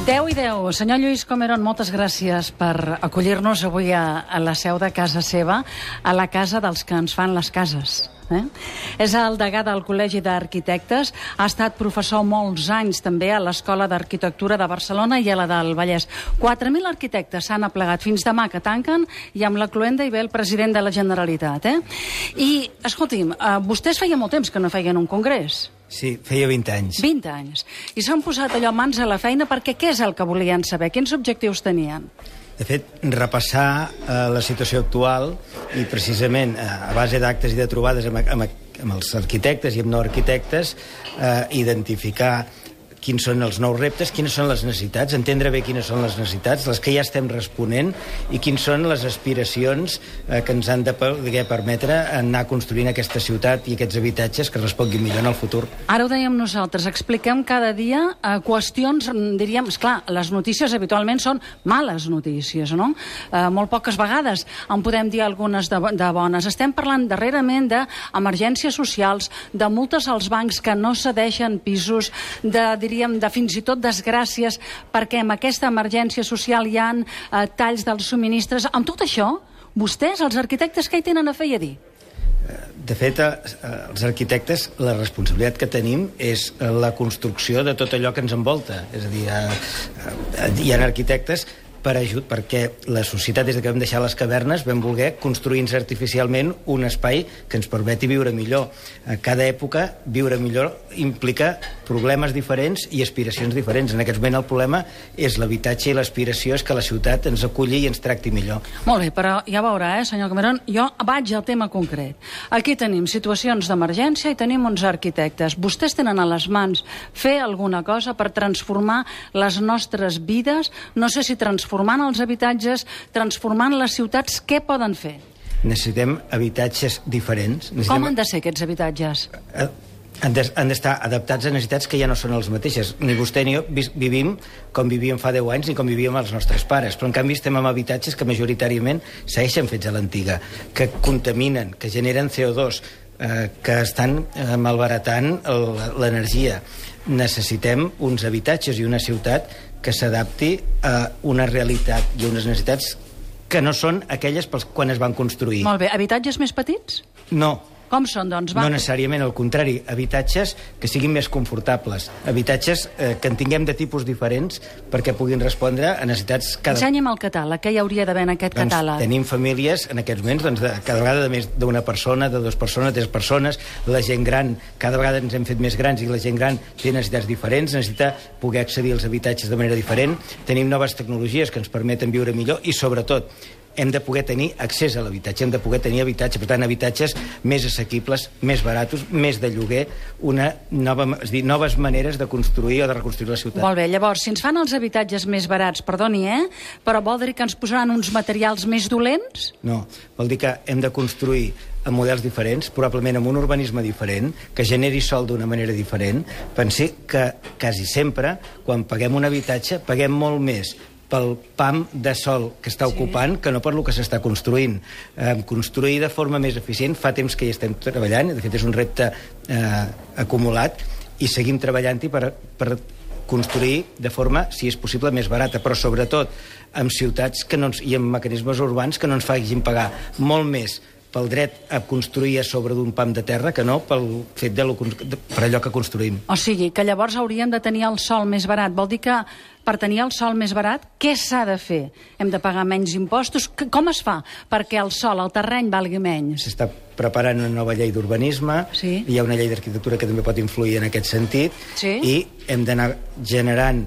10:10. Senyor Lluís Comerón, moltes gràcies per acollir-nos avui a la seu de casa seva, a la casa dels que ens fan les cases. És el degà del Col·legi d'Arquitectes, ha estat professor molts anys també a l'Escola d'Arquitectura de Barcelona i a la del Vallès. 4.000 arquitectes s'han aplegat fins demà que tanquen i amb la cloenda hi ve el president de la Generalitat. I, escolti'm, vostès feia molt temps que no feien un congrés. Sí, feia 20 anys. 20 anys. I s'han posat allò mans a la feina perquè què és el que volien saber? Quins objectius tenien? De fet, repassar la situació actual i precisament a base d'actes i de trobades amb els arquitectes i amb no arquitectes, identificar quins són els nous reptes, quines són les necessitats, entendre bé quines són les necessitats, les que ja estem responent, i quines són les aspiracions que ens han de permetre anar construint aquesta ciutat i aquests habitatges que responguin millor en el futur. Ara ho dèiem nosaltres, expliquem cada dia qüestions, diríem, esclar, les notícies habitualment són males notícies, no? Molt poques vegades en podem dir algunes de bones. Estem parlant darrerament d'emergències socials, de multes als bancs que no cedeixen pisos, diríem, de fins i tot desgràcies, perquè amb aquesta emergència social hi ha talls dels subministres. Amb tot això, vostès, els arquitectes, què hi tenen a fer i a dir? De fet, els arquitectes, la responsabilitat que tenim és la construcció de tot allò que ens envolta. És a dir, hi ha arquitectes perquè la societat, des que vam deixar les cavernes, vam voler construir-nos artificialment un espai que ens permeti viure millor. A cada època, viure millor implica problemes diferents i aspiracions diferents. En aquest moment el problema és l'habitatge i l'aspiració és que la ciutat ens aculli i ens tracti millor. Molt bé, però ja veurà, senyor Comerón, jo vaig al tema concret. Aquí tenim situacions d'emergència i tenim uns arquitectes. Vostès tenen a les mans fer alguna cosa per transformar les nostres vides, no sé si transformant els habitatges, transformant les ciutats, què poden fer? Necessitem habitatges diferents. Com han de ser aquests habitatges? Han d'estar adaptats a necessitats que ja no són les mateixes. Ni vostè ni jo vivim com vivíem fa 10 anys ni com vivíem els nostres pares, però en canvi estem en habitatges que majoritàriament segueixen fets a l'antiga, que contaminen, que generen CO2, que estan malbaratant l'energia. Necessitem uns habitatges i una ciutat que s'adapti a una realitat i unes necessitats que no són aquelles quan es van construir. Molt bé. Habitatges més petits? No. Com són, doncs? No necessàriament, al contrari. Habitatges que siguin més confortables. Habitatges que en tinguem de tipus diferents perquè puguin respondre a necessitats... Ensenya'm el catàleg. Què hi hauria d'haver en aquest catàleg? Tenim famílies, en aquests moments, cada vegada de més d'una persona, de 2 persones, 3 persones. La gent gran, cada vegada ens hem fet més grans i la gent gran té necessitats diferents, necessita poder accedir als habitatges de manera diferent. Tenim noves tecnologies que ens permeten viure millor i, sobretot, hem de poder tenir accés a l'habitatge, hem de poder tenir habitatge, per tant, habitatges més assequibles, més baratos, més de lloguer, noves maneres de construir o de reconstruir la ciutat. Molt bé, llavors, si ens fan els habitatges més barats, perdoni, però vol dir que ens posaran uns materials més dolents? No, vol dir que hem de construir amb models diferents, probablement amb un urbanisme diferent, que generi sol d'una manera diferent. Pensi que quasi sempre, quan paguem un habitatge, paguem molt més pel pam de sol que està ocupant que no per lo que s'està construint. Construir de forma més eficient fa temps que hi estem treballant, de fet és un repte acumulat, i seguim treballant-hi per construir de forma, si és possible, més barata, però sobretot amb ciutats i amb mecanismes urbans que no ens facin pagar molt més pel dret a construir a sobre d'un pam de terra que no pel fet per allò que construïm. O sigui, que llavors hauríem de tenir el sòl més barat. Vol dir que per tenir el sòl més barat, què s'ha de fer? Hem de pagar menys impostos? Com es fa perquè el sòl, el terreny, valgui menys? S'està preparant una nova llei d'urbanisme, hi ha una llei d'arquitectura que també pot influir en aquest sentit, i hem d'anar generant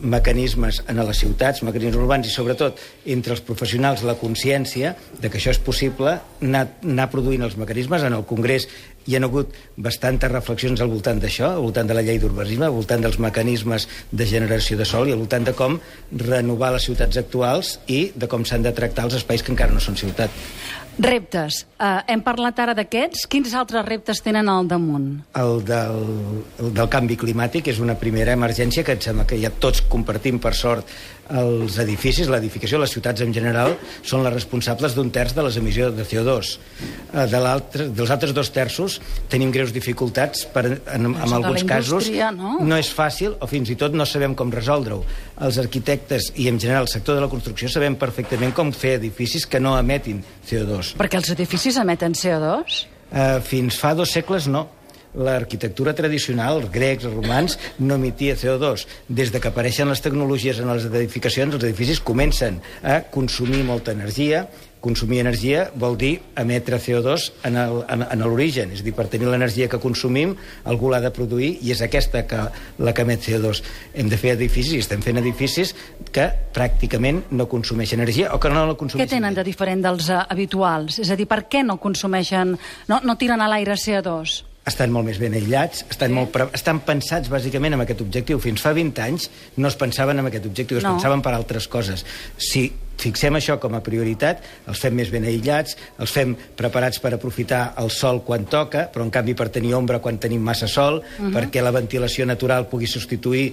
mecanismes en les ciutats, mecanismes urbans, i sobretot entre els professionals la consciència de que això és possible, anar produint els mecanismes. En el Congrés hi ha hagut bastantes reflexions al voltant d'això, al voltant de la llei d'urbanisme, al voltant dels mecanismes de generació de sòl i al voltant de com renovar les ciutats actuals i de com s'han de tractar els espais que encara no són ciutat. Reptes. Hem parlat ara d'aquests. Quins altres reptes tenen al damunt? El del canvi climàtic és una primera emergència que em sembla que ja tots compartim, per sort. Els edificis, l'edificació, les ciutats en general, són les responsables d'1/3 de les emissions de CO2. Dels altres 2/3 casos tenim greus dificultats, en alguns casos no és fàcil, o fins i tot no sabem com resoldre-ho. Els arquitectes i en general el sector de la construcció sabem perfectament com fer edificis que no emetin CO2. Perquè els edificis emeten CO2? Fins fa 2 segles no. L'arquitectura tradicional, els grecs, els romans, no emetia CO2. Des de que apareixen les tecnologies en les edificacions, els edificis comencen a consumir molta energia. Consumir energia vol dir emetre CO2 en l'origen. És a dir, per tenir l'energia que consumim, algú l'ha de produir i és aquesta la que emet CO2. Hem de fer edificis, i estem fent edificis que pràcticament no consumeixen energia o que no la consumeixen. Què tenen de diferent dels habituals? És a dir, per què no consumeixen, no tiren a l'aire CO2? Estan molt més ben aïllats, estan pensats bàsicament amb aquest objectiu. Fins fa 20 anys no es pensaven en aquest objectiu, es pensaven per altres coses. Si fixem això com a prioritat, els fem més ben aïllats, els fem preparats per aprofitar el sol quan toca, però en canvi per tenir ombra quan tenim massa sol, perquè la ventilació natural pugui substituir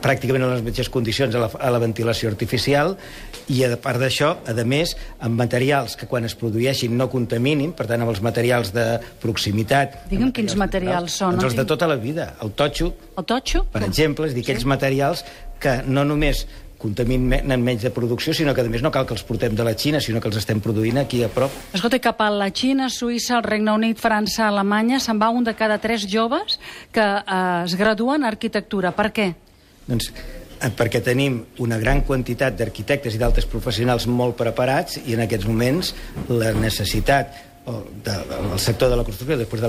pràcticament en les mateixes condicions a la ventilació artificial, i a part d'això, a més, amb materials que quan es produeixin no contaminin, per tant amb els materials de proximitat. Digue'm quins materials són. Els de tota la vida. El totxo, per exemple, és dir, aquells materials que no només contaminen menys de producció, sinó que a més no cal que els portem de la Xina, sinó que els estem produint aquí a prop. Escolta, cap a la Xina, Suïssa, el Regne Unit, França, Alemanya, se'n va un de cada 3 joves que es graduen en arquitectura. Per què? Doncs perquè tenim una gran quantitat d'arquitectes i d'altres professionals molt preparats i en aquests moments la necessitat del sector de la construcció després de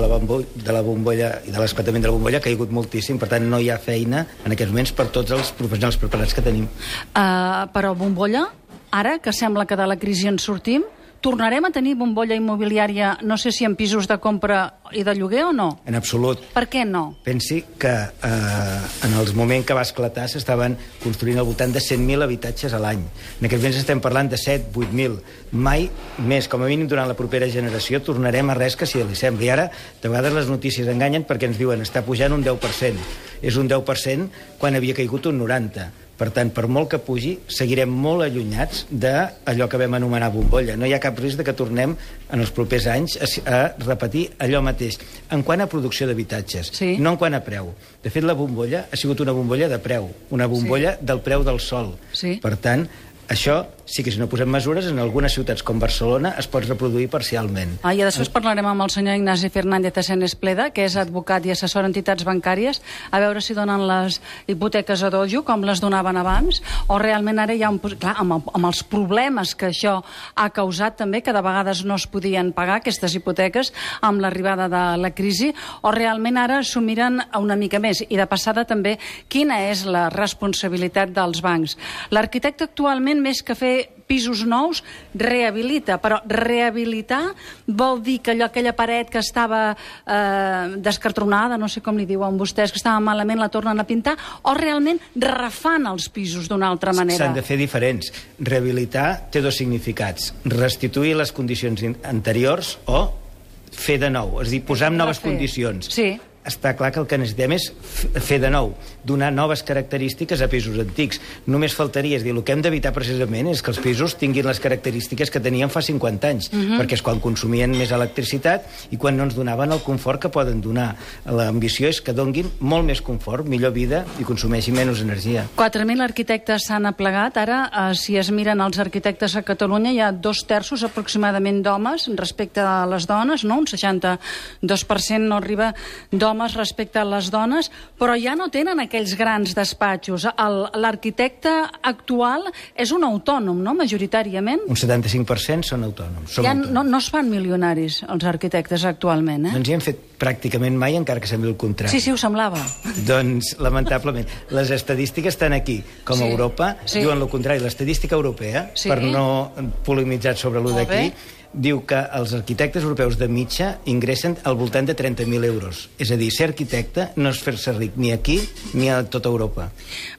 la bombolla i de l'esclatament de la bombolla ha caigut moltíssim, per tant no hi ha feina en aquests moments per tots els professionals preparats que tenim. Però bombolla, ara que sembla que de la crisi en sortim, tornarem a tenir bombolla immobiliària, no sé si en pisos de compra i de lloguer o no? En absolut. Per què no? Pensi que en el moment que va esclatar s'estaven construint al voltant de 100.000 habitatges a l'any. En aquests moments estem parlant de 7-8.000. Mai més, com a mínim durant la propera generació, tornarem a res que si li sembli. Ara, de vegades les notícies enganyen perquè ens diuen està pujant un 10%. És un 10% quan havia caigut un 90%. Per tant, per molt que pugi, seguirem molt allunyats d'allò que vam anomenar bombolla. No hi ha cap risc de que tornem en els propers anys a repetir allò mateix. En quant a producció d'habitatges, no en quant a preu. De fet, la bombolla ha sigut una bombolla de preu, una bombolla del preu del sol. Per tant, això sí que si no posem mesures, en algunes ciutats com Barcelona es pot reproduir parcialment. I després parlarem amb el senyor Ignasi Fernández Espleda, que és advocat i assessor d'entitats bancàries, a veure si donen les hipoteques a dojo, com les donaven abans, o realment ara hi ha clar, amb els problemes que això ha causat també, que de vegades no es podien pagar aquestes hipoteques amb l'arribada de la crisi, o realment ara s'ho miren una mica més. I de passada també, quina és la responsabilitat dels bancs? L'arquitecte actualment, més que fer pisos nous, rehabilita. Però rehabilitar vol dir que aquella paret que estava descartronada, no sé com li diuen vostès, que estava malament, la tornen a pintar, o realment refan els pisos d'una altra manera? S'han de fer diferents. Rehabilitar té 2 significats. Restituir les condicions anteriors o fer de nou, és a dir, posar en noves condicions. Sí. Està clar que el que necessitem és fer de nou, donar noves característiques a pisos antics. Només faltaria, és dir, el que hem d'evitar precisament és que els pisos tinguin les característiques que tenien fa 50 anys, perquè és quan consumien més electricitat i quan no ens donaven el confort que poden donar. L'ambició és que donguin molt més confort, millor vida i consumeixin menys energia. 4.000 arquitectes s'han aplegat. Ara, si es miren els arquitectes a Catalunya, hi ha 2/3 aproximadament d'homes respecte a les dones, no? Un 62% no arriba d'homes respecte a les dones, però ja no tenen aquells grans despatxos. L'arquitecte actual és un autònom, no?, majoritàriament. Un 75% són autònoms. Ja no es fan milionaris, els arquitectes, actualment, eh? No ens hi hem fet pràcticament mai, encara que sembli el contrari. Sí, ho semblava. Doncs, lamentablement, les estadístiques estan aquí, com a Europa, diuen el contrari. L'estadística europea, per no polemitzar sobre allò d'aquí, diu que els arquitectes europeus de mitja ingressen al voltant de 30.000 euros. És a dir, ser arquitecte no és fer-se ric ni aquí ni a tota Europa.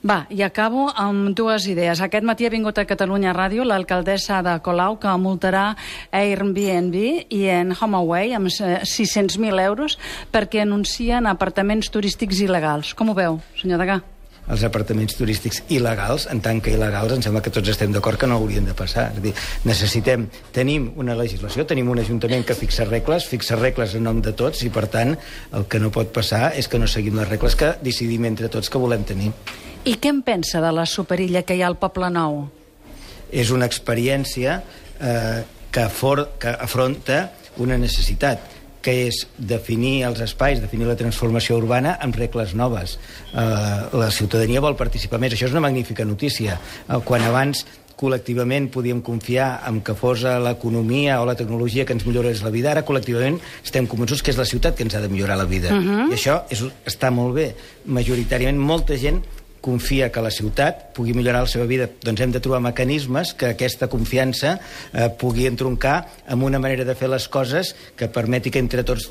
Va, i acabo amb 2 idees. Aquest matí ha vingut a Catalunya Ràdio l'alcaldessa de Colau, que multarà Airbnb i en HomeAway amb 600.000 euros perquè anuncien apartaments turístics il·legals. Com ho veu, senyor Degà? els apartaments turístics il·legals, en tant que il·legals em sembla que tots estem d'acord que no haurien de passar. És a dir, tenim una legislació, tenim un ajuntament que fixa regles en nom de tots, i per tant el que no pot passar és que no seguim les regles que decidim entre tots que volem tenir. I què en pensa de la superilla que hi ha al Poble Nou? És una experiència que afronta una necessitat, que és definir els espais, definir la transformació urbana amb regles noves. La ciutadania vol participar més. Això és una magnífica notícia. Quan abans col·lectivament podíem confiar en que fos l'economia o la tecnologia que ens millorés la vida, ara col·lectivament estem convençuts que és la ciutat que ens ha de millorar la vida. I això està molt bé. Majoritàriament molta gent confia que la ciutat pugui millorar la seva vida. Doncs hem de trobar mecanismes que aquesta confiança pugui entroncar amb una manera de fer les coses que permeti que entre tots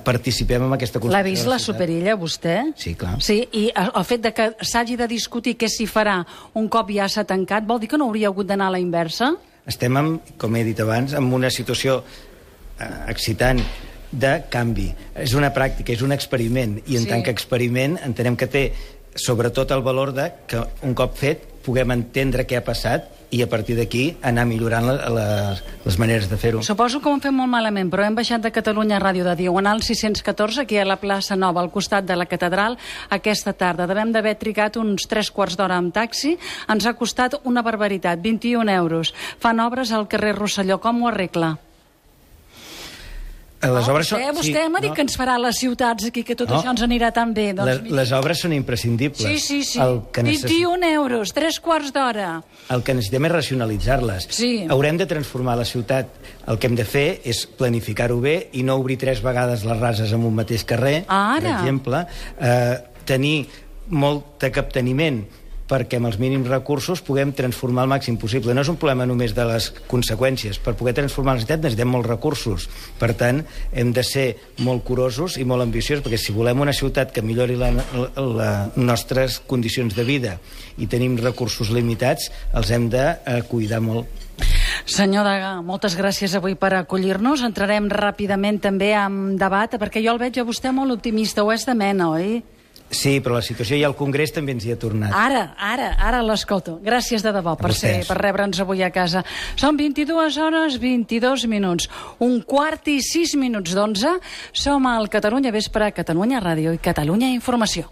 participem en aquesta construcció. L'ha vist la superilla, vostè? Sí, clar. Sí, i el fet de que s'hagi de discutir què s'hi farà un cop ja s'ha tancat, vol dir que no hauria hagut d'anar a la inversa? Estem, com he dit abans, en una situació excitant de canvi. És una pràctica, és un experiment, i en tant que experiment entenem que té sobretot el valor de que un cop fet puguem entendre què ha passat i a partir d'aquí anar millorant les maneres de fer-ho. Suposo que ho hem fet molt malament, però hem baixat de Catalunya Ràdio de Diagonal 614, aquí a la plaça Nova, al costat de la catedral, aquesta tarda. Devem d'haver trigat uns 3 quarts d'hora amb taxi. Ens ha costat una barbaritat, 21 euros. Fan obres al carrer Rosselló. Com ho arregla? Vostè m'ha dit que ens farà les ciutats aquí, que tot això ens anirà tan bé. Les obres són imprescindibles. Sí. 21 euros, 3 quarts d'hora. El que necessitem és racionalitzar-les. Haurem de transformar la ciutat. El que hem de fer és planificar-ho bé i no obrir 3 vegades les rases en un mateix carrer, per exemple. Tenir molt de capteniment perquè amb els mínims recursos puguem transformar el màxim possible. No és un problema només de les conseqüències. Per poder transformar la ciutat necessitem molts recursos. Per tant, hem de ser molt curosos i molt ambiciosos, perquè si volem una ciutat que millori les nostres condicions de vida i tenim recursos limitats, els hem de cuidar molt. Senyor Degà, moltes gràcies avui per acollir-nos. Entrarem ràpidament també en debat, perquè jo el veig a vostè molt optimista, o és de mena, oi? Sí, però la situació i el Congrés també ens hi ha tornat. Ara l'escolto. Gràcies de debò per rebre'ns avui a casa. Són 22 hores, 22 minuts. 1:15 i 6 minuts d'11. Som al Catalunya Vespre, Catalunya Ràdio i Catalunya Informació.